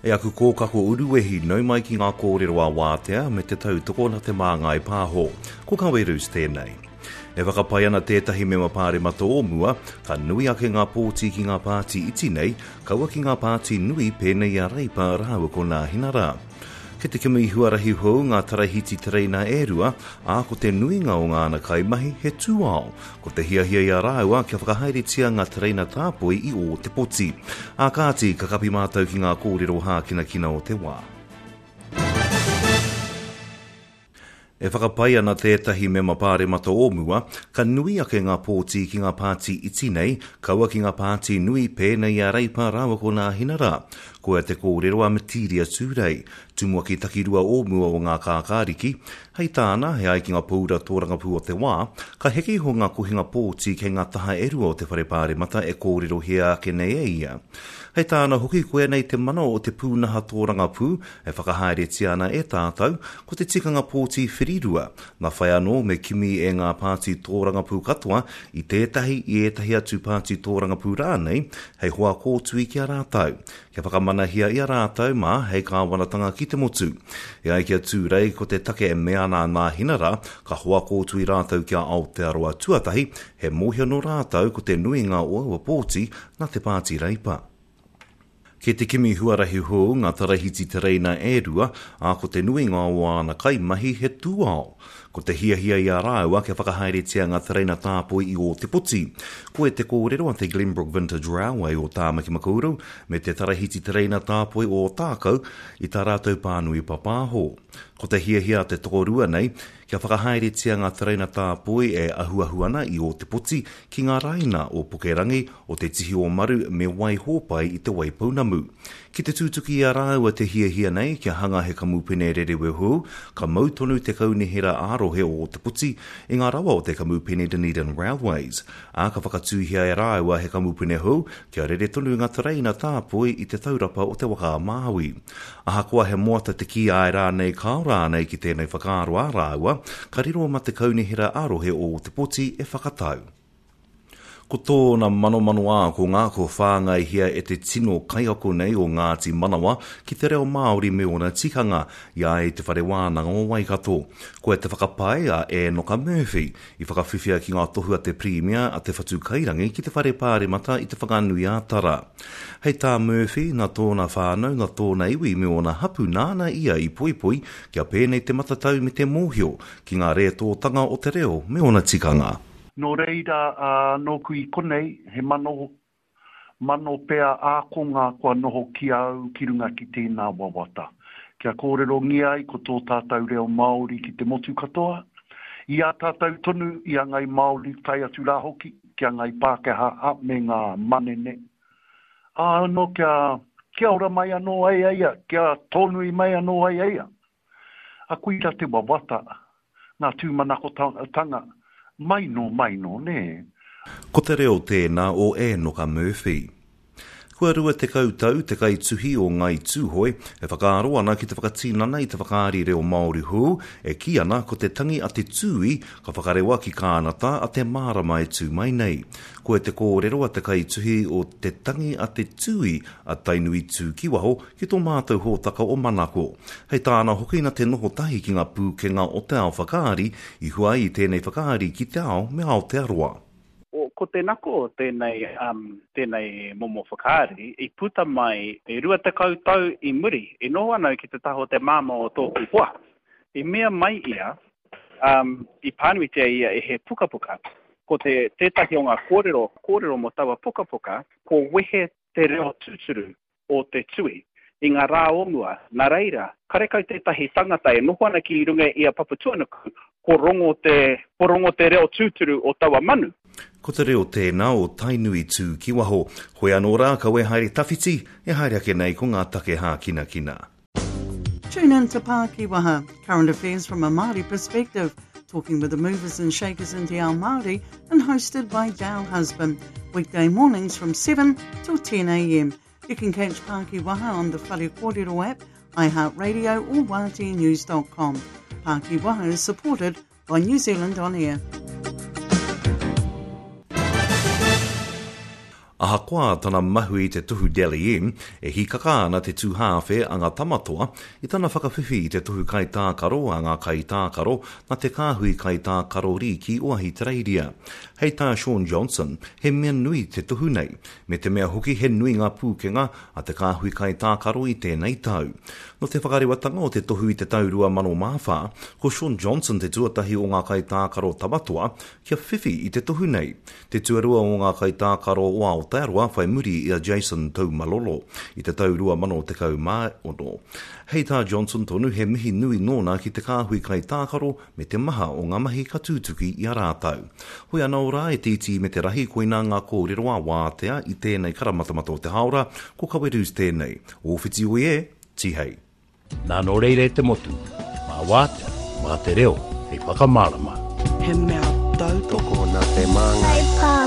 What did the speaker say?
E aku kōkako uruwehi, nau mai ki ngā kōrero a Wātea me te tautoko na Te Māngai Pāho. Ko Kawerus tēnei. E whakapae ana tētahi mema pāremata o mua, ka nui ake ngā pōti ki ngā pāti iti nei, kaua ki ngā pāti nui pēnei i a Reipa rāua ko Nāhinara. Kei te kimi huarahi hou ngā tarahiti tereina e rua, ā, ko te nuinga o ngāna kaimahi he tūao. Ko te hiahia i a rāua kia whakahaeretia ngā tereina tāpoi i Ōtepoti. Ā kāti, ka kapi mātou ki ngā kōrero hākinakina o te wā. E whakapae ana tētahi mema pāremata o mua, ka nui ake ngā pōti ki ngā pāti iti nei, kaua ki ngā pāti nui pēnei i a Reipa rāua ko Nāhinara. Koia te kōrero a Metiria Turei, tumuaki takirua o mua o Ngā Kākāriki. Hei tāna, e ai ki ngā pōura tōrangapū o te wā, ka heke iho ngā kohinga pōti kei ngā taha e rua o te whare pāremata e kōrerohia ake nei e ia. Hei tāna hoki, koia nei te mana o te pūnaha tōrangapū e whakahaeretia ana e tātou, ko te tikanga pōti whirirua. Nā whai anō me kimi e ngā pāti tōrangapū katoa i tētahi, i ētahi atu pāti tōrangapū rānei, hei hoa kōtui ki a rātou, kia whakamanahia i a rātou mā hei kāwanatanga ki te motu. E ai ki a Tūrei, ko te take e mea ana a Nāhinara, ka hoa kōtui rātou ki a Aotearoa Tuatahi, he mōhio nō rātou ko te nuinga o aua pōti nā te Pāti Reipa. Kei te kimi huarahi hou ngā tarahiti tereina e rua, ā, ko te nuinga o āna kaimahi he tūao. Ko te hiahia i a rāua kia whakahaeretia ngā tereina tāpoi i Ōtepoti. Koia te kōrero a te Glenbrook Vintage Railway o Tāmaki Makaurau me te Tarahiti Tereina Tāpoi o Ōtākou i tā rātou pānui papāho. Ko te hiahia a te tokorua nei, Kia whakahaeretia ngā tereina tāpoi e ahuahu ana i Ōtepoti ki ngā raina o Pukerangi, o Te Tihi-o-Maru me Waihōpai i Te Waipounamu. Ki te tūtuki i a rāua te hiahia nei kia hanga he kamupene rerewe hou, ka mau tonu te kaunihera ā-rohe o Ōtepoti i ngā rawa o te kamupene Dunedin Railways, ā, ka whakatūhia e rāua he kamupene hou kia rere tonu ngā tereina tāpoi i te taurapa o Te Waka-a-Māui. Ahakoa he moata te kī āe rānei kāo rānei ki tēnei whakaaro a rāua, ka riro ma te kaunihera ā-rohe o Ōtepoti e whakatau. Ko tōna manomano ākonga kua whāngaihia e te tino kaiako nei o Ngāti Manawa ki te reo Māori me ōna tikanga, i a ia i Te Whare Wānanga o Waikato. Koia te whakapae a Ēnoka Murphy, I whakawhiwhia ki ngā tohu a te Pirimia a Te Whatu Kairangi ki te Whare Pāremata i Te Whanganui-ā-Tara. Hei tā Murphy, nā tōna whānau, nā tōna iwi me ōna hapu nāna ia i poipoi kia pēnei te matatau me te mōhio ki ngā rētōtanga o te reo me ōna tikanga. Nō reira, nōku i konei, he mano Mano pea ākonga kua noho ki a au ki runga ki tēnā wawata. Kia kōrerongia ai ko tō tātou reo Māori ki te motu katoa, i a tātou tonu i a Ngai Māori tae atu rā hoki ki a Ngai Pākehā a me ngā manene. Ā anō kia kia ora mai anō ai a ia, kia tōnui mai anō ai a ia. A koira te wawata, ngā tūmanakotanga, mai nō mai nō, nē. Ko te reo tēnā o Ēnoka Murphy. Kua 20 tau te kaituhi o Ngāi Tūhoe e whakaaro ana ki te whakatinana i te whakaari reo Māori hou e kī ana ko te tangi a te tūī ka whakarewa ki Kānata a te marama e tū mai nei. Koia te kōrero a te kaituhi o Te Tangi a te Tūī a Tainui Tū ki waho ki tō mātou hōtaka o Manako. Hei tāna hoki na te noho tahi ki ngā pūkenga o te ao whakaari i hua ai i tēnei whakaari ki te ao me Aotearoa. Ko te nako o tēnei, tēnei momo whakaari i puta mai e 20 tau i muri, i noho ana au ki te taha o te māmā o tōku hoa. I mea mai ia, i pānuitia ia e he pukapuka. Ko te, tētahi o ngā kōrero, kōrero mō taua pukapuka, ko wehe te reo tūturu o te tui i ngā rā o mua, nā reira, karekau tētahi tangata e noho ana ki runga i a Papatuanuku, ko rongo te, ko rongo te reo tūturu o taua manu. Ko te reo tēnā o Tainui tū ki waho. Hoi anō rā, kawe haere tawhiti, e haere ake nei ko ngā take hākinakina. Tune in to Pākiwaha, current affairs from a Māori perspective, talking with the movers and shakers in Te Ao Māori and hosted by Dale Husband, weekday mornings from 7 till 10 a.m. You can catch Pākiwaha on the Whare Kōrero app, iHeartRadio or wāteanews.com. Pākiwaha is supported by New Zealand On Air. Ahakoa tana mahu i te tohu Dally M, e hīkaka ana te tūhāwhe a ngā Tamatoa i tana whakawhiwhi i te tohu kaitākaro a ngā kaitākaro nā te kāhui kaitākaro rīki o Ahitereiria. Hei tā Shaun Johnson, he mea nui te tohu nei, me te mea hoki he nui ngā pūkenga a te kāhui kaitākaro i tēnei tau. Nō te whakarewatanga o te tohu i te tau 2004, ko Shaun Johnson te tuatahi o ngā kaitākaro Tamatoa kia whiwhi i te tohu nei. Te tuarua o ngā kaitākaro o Aotearoa whai muri i a Jason Taumalolo i te tau 2016. Hei tā Johnson tonu he mihi nui nōna ki te kāhui kaitākaro me te maha o ngā mahi ka tūtuki i a rātou. Hoi anō rā e te iti me te rahi koinā ngā kōrero a Wātea i tēnei karamatamata o te hāora, ko Kawerūs tēnei. Ōwhiti oi e, tihei. Nā nō reira e te motu, mā Wātea, mā te reo hei whakamārama. He mea tautoko. Tokona te māngai.